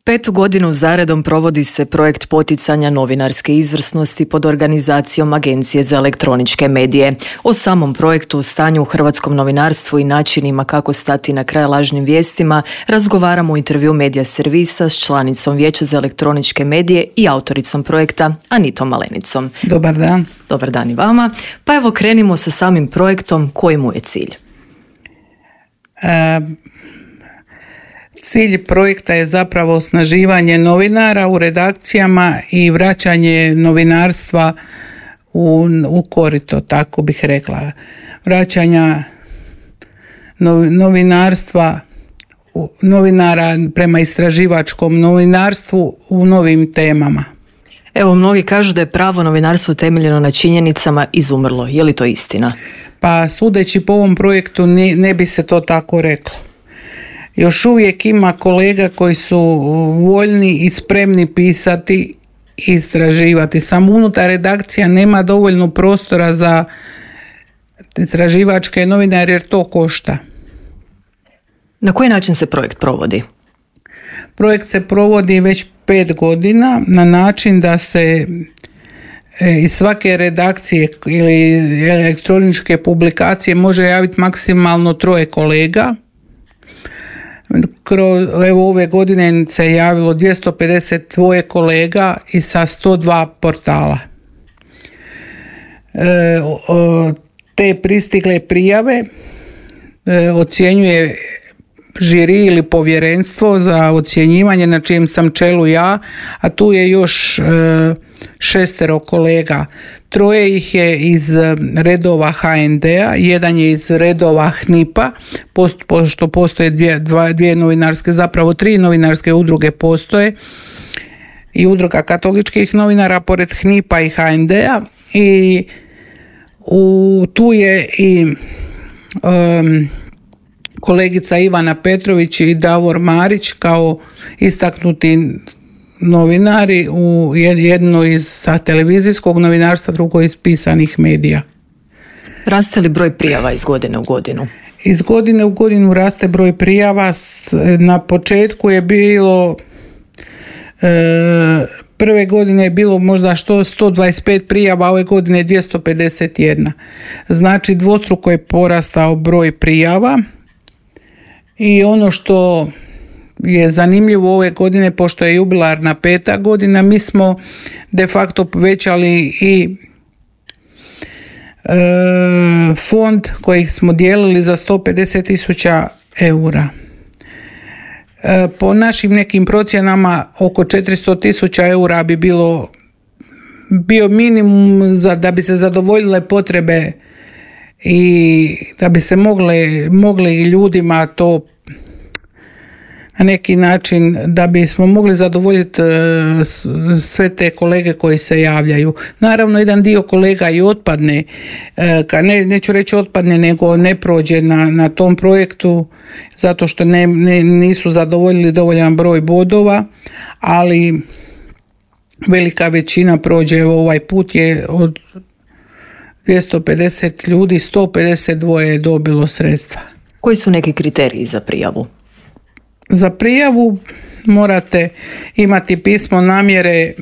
5. godinu zaredom provodi se projekt poticanja novinarske izvrsnosti pod organizacijom Agencije za elektroničke medije. O samom projektu, stanju u hrvatskom novinarstvu i načinima kako stati na kraj lažnim vijestima razgovaramo u intervju Medija servisa s članicom Vijeća za elektroničke medije i autoricom projekta Anitom Malenicom. Dobar dan. Dobar dan i vama. Pa evo krenimo sa samim projektom. Koji mu je cilj? Cilj projekta je zapravo osnaživanje novinara u redakcijama i vraćanje novinarstva u korito, tako bih rekla. Vraćanja novinara prema istraživačkom novinarstvu u novim temama. Evo, mnogi kažu da je pravo novinarstvo temeljeno na činjenicama izumrlo. Je li to istina? Pa sudeći po ovom projektu ne bi se to tako reklo. Još uvijek ima kolega koji su voljni i spremni pisati i istraživati. Samo unutar redakcija nema dovoljno prostora za istraživačke novinare jer to košta. Na koji način se projekt provodi? Projekt se provodi već 5 godina na način da se iz svake redakcije ili elektroničke publikacije može javiti maksimalno 3 kolega. Evo ove godine se javilo 252 kolega i sa 102 portala. Te pristigle prijave ocjenjuje žiri ili povjerenstvo za ocjenjivanje na čijem sam čelu ja, a tu je još 6 kolega. 3 ih je iz redova HND-a, 1 je iz redova HNIP-a, pošto postoje dvije novinarske, zapravo 3 novinarske udruge postoje, i udruga katoličkih novinara pored HNIP-a i HND-a, i tu je i kolegica Ivana Petrović i Davor Marić kao istaknuti novinari, jedno iz televizijskog novinarstva, drugo iz pisanih medija. Raste li broj prijava iz godine u godinu? Iz godine u godinu raste broj prijava. Na početku je bilo prve godine je bilo možda 125 prijava, ove godine 251. Znači dvostruko je porastao broj prijava. I ono što je zanimljivo ove godine, pošto je jubilarna 5. godina, mi smo de facto povećali i fond koji smo dijelili za 150.000 eura. Po našim nekim procjenama oko 400.000 eura bi bio minimum da bi se zadovoljile potrebe i da bi se mogli ljudima to na neki način, da bismo mogli zadovoljiti sve te kolege koji se javljaju. Naravno, jedan dio kolega i otpadne, neću reći otpadne, nego ne prođe na tom projektu zato što nisu zadovoljili dovoljan broj bodova, ali velika većina prođe. Ovaj put je od 250 ljudi, 152 je dobilo sredstva. Koji su neki kriteriji za prijavu? Za prijavu morate imati pismo namjere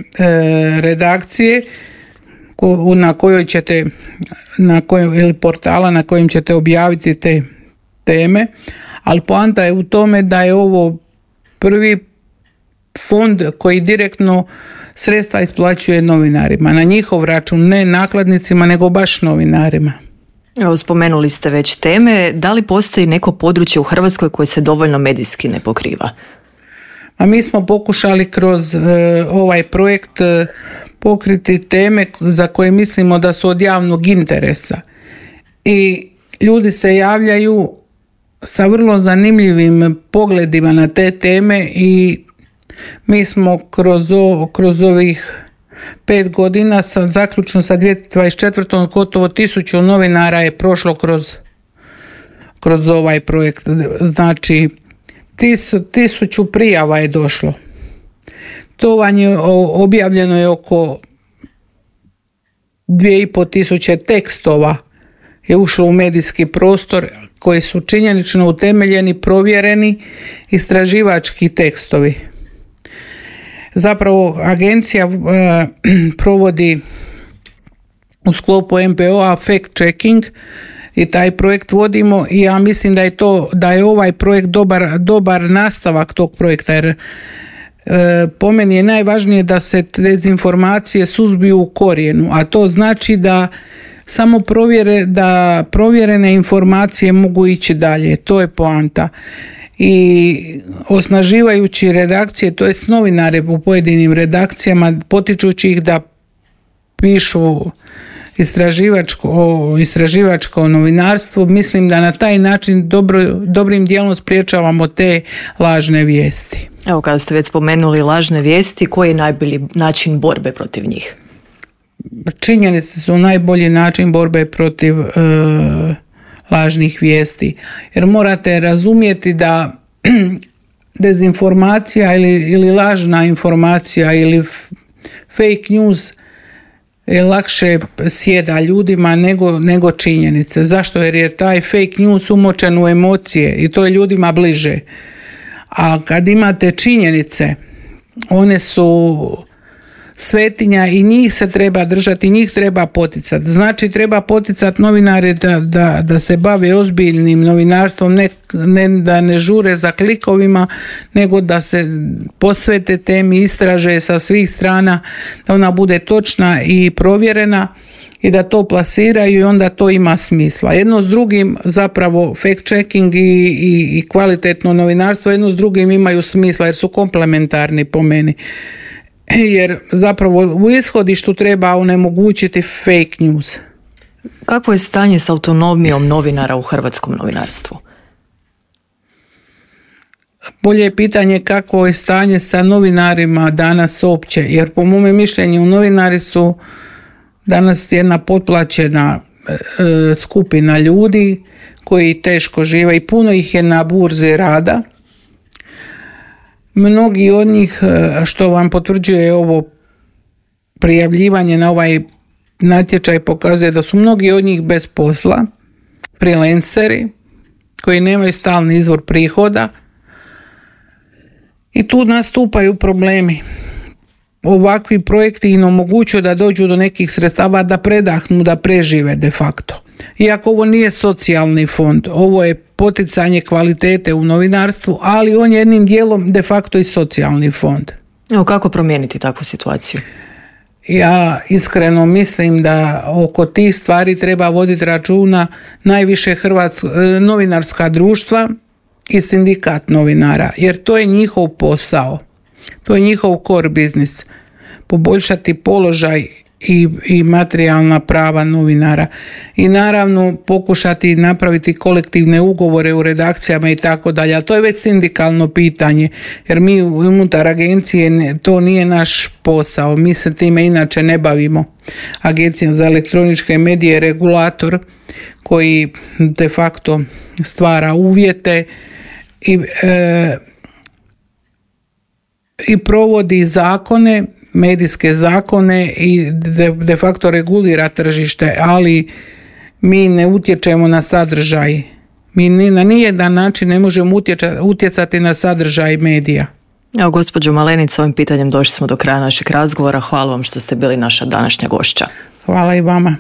redakcije na kojoj ćete, ili portala na kojem ćete objaviti te teme, ali poanta je u tome da je ovo prvi fond koji direktno sredstva isplaćuje novinarima na njihov račun, ne nakladnicima nego baš novinarima. Evo, spomenuli ste već teme. Da li postoji neko područje u Hrvatskoj koje se dovoljno medijski ne pokriva? A mi smo pokušali kroz ovaj projekt pokriti teme za koje mislimo da su od javnog interesa. I ljudi se javljaju sa vrlo zanimljivim pogledima na te teme i mi smo kroz ovih 5 godina, zaključno sa 2024. gotovo 1000 novinara je prošlo kroz ovaj projekt. Znači 1000 prijava je došlo. To vam je objavljeno je oko 2500 tekstova je ušlo u medijski prostor koji su činjenično utemeljeni, provjereni, istraživački tekstovi. Zapravo agencija provodi u sklopu MPO-a fact checking i taj projekt vodimo i ja mislim da je ovaj projekt dobar nastavak tog projekta, jer po meni je najvažnije da se dezinformacije suzbiju u korijenu, a to znači da samo da provjerene informacije mogu ići dalje, to je poanta. I osnaživajući redakcije, to jest novinare u pojedinim redakcijama, potičući ih da pišu istraživačko novinarstvo, mislim da na taj način dobrim dijelom spriječavamo te lažne vijesti. Evo, kada ste već spomenuli lažne vijesti, koji je najbolji način borbe protiv njih? Činjenice su najbolji način borbe protiv lažnih vijesti, jer morate razumjeti da dezinformacija ili lažna informacija ili fake news lakše sjeda ljudima nego činjenice. Zašto? Jer je taj fake news umočen u emocije i to je ljudima bliže. A kad imate činjenice, one su svetinja i njih se treba držati, njih treba poticati. Znači treba poticati novinare da se bave ozbiljnim novinarstvom, ne da ne žure za klikovima, nego da se posvete temi, istraže sa svih strana, da ona bude točna i provjerena i da to plasiraju i onda to ima smisla. Jedno s drugim, zapravo fact checking i kvalitetno novinarstvo jedno s drugim imaju smisla jer su komplementarni po meni. Jer zapravo u ishodištu treba onemogućiti fake news. Kakvo je stanje s autonomijom novinara u hrvatskom novinarstvu? Bolje je pitanje kakvo je stanje sa novinarima danas uopće, jer po mome mišljenju novinari su danas jedna potplaćena skupina ljudi koji teško žive i puno ih je na burzi rada. Mnogi od njih, što vam potvrđuje ovo prijavljivanje na ovaj natječaj, pokazuje da su mnogi od njih bez posla, freelanceri koji nemaju stalni izvor prihoda i tu nastupaju problemi. Ovakvi projekti im omogućuju da dođu do nekih sredstava, da predahnu, da prežive de facto. Iako ovo nije socijalni fond, ovo je poticanje kvalitete u novinarstvu, ali on je jednim dijelom de facto i socijalni fond. Evo, kako promijeniti takvu situaciju? Ja iskreno mislim da oko tih stvari treba voditi računa najviše novinarska društva i sindikat novinara, jer to je njihov posao. To je njihov core biznis. Poboljšati položaj i materijalna prava novinara. I naravno pokušati napraviti kolektivne ugovore u redakcijama i tako dalje. Ali to je već sindikalno pitanje. Jer mi unutar agencije to nije naš posao. Mi se time inače ne bavimo. Agencija za elektroničke medije je regulator koji de facto stvara uvjete i provodi zakone, medijske zakone i de facto regulira tržište, ali mi ne utječemo na sadržaj. Mi na nijedan način ne možemo utjecati na sadržaj medija. Evo, gospođo Malenica, ovim pitanjem došli smo do kraja našeg razgovora. Hvala vam što ste bili naša današnja gošća. Hvala i vama.